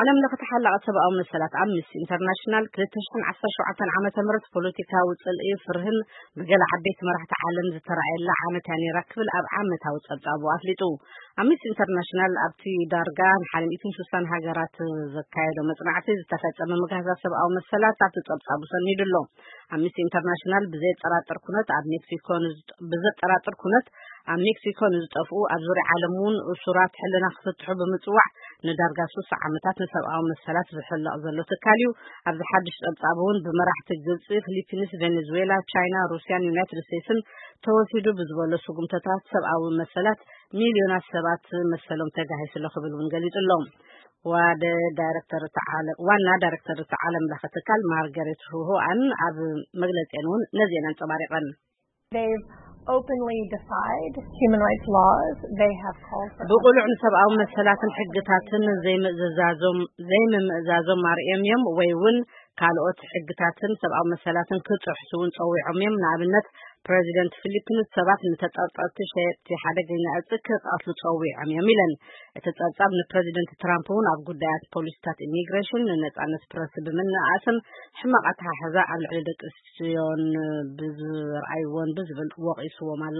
ዓለም ለኸ ተሓላቒ ሰብኣዊ መሰላት ኣምነስቲ ኢንተርናሽናል ክልተ ሽሕን ዓሰርተ ሸውዓተን ዓመተ ምህረት ፖለቲካዊ ጽልኢ፣ ፍርህን ብገለ ዓበይቲ መራሕቲ ዓለም ዝተራእየላ ዓመት እያ ነይራ ክብል ኣብ ዓመታዊ ጸብጻቡ ኣፍሊጡ። ኣምነስቲ ኢንተርናሽናል ኣብቲ ዳርጋ ንሓደ ሚእትን ስሳን ሃገራት ዘካየዶ መጽናዕቲ ዝተፈጸመ ምግሃሳት ሰብኣዊ መሰላት ኣብቲ ጸብጻቡ ሰኒዱ ኣሎ። ኣምነስቲ ኢንተርናሽናል ብዘየጠራጥር ኩነት ኣብ ሜክሲኮ ንዝጠ-፣ ብዘጠራጥር ኩነት ኣብ ሜክሲኮ ንዝጠፍኡ፣ ኣብ ዙርያ ዓለም እውን እሱራት ሕልና ክፍትሑ ብምጽዋዕ ንዳርጋ ስሳ ዓመታት ንሰብኣዊ መሰላት ዝሕለቕ ዘሎ ትካል እዩ። ኣብዚ ሓድሽ ጸብጻብ እውን ብመራሕቲ ግብጺ፣ ፊሊፒንስ፣ ቬኔዙዌላ፣ ቻይና፣ ሩስያን ዩናይትድ ስቴትስን ተወሲዱ ብዝበሎ ስጉምተታት ሰብኣዊ መሰላት ሚልዮናት ሰባት መሰሎም ተጋሂሱ ኣሎ ክብል እውን ገሊጹ ኣሎ። ዋደ ዳይሬክተር እቲ ዓለም፣ ዋና ዳይሬክተር እቲ ዓለም ለኸ ትካል ማርጋሬት ሁሆኣን ኣብ መግለጺአን እውን ነዚአን ኣንጸባሪቐን። They've openly defied human rights laws. They have called for ብቑሉዕ ንሰብኣዊ መሰላትን ሕግታትን ዘይምእዝዛዞም፣ ዘይምምእዛዞም ኣርእዮም እዮም፣ ወይ እውን ካልኦት ሕግታትን ሰብኣዊ መሰላትን ክጥሕሱ እውን ጸዊዖም እዮም። ንኣብነት፣ ፕረዚደንት ፊሊፒንስ ሰባት ንተጠርጠርቲ ሸየጥቲ ሓደገኛ እጽ ክቐትሉ ጸዊዖም እዮም ኢለን። እቲ ጸብጻብ ንፕረዚደንት ትራምፕ እውን ኣብ ጉዳያት ፖሊሲታት ኢሚግሬሽን፣ ንነጻነት ፕረስ ብምንኣስን ሕማቕ ኣተሓሕዛ ኣብ ልዕሊ ደቂ ኣንስትዮን ብዝርኣይዎን ብዝብል ወቒስዎም ኣሎ።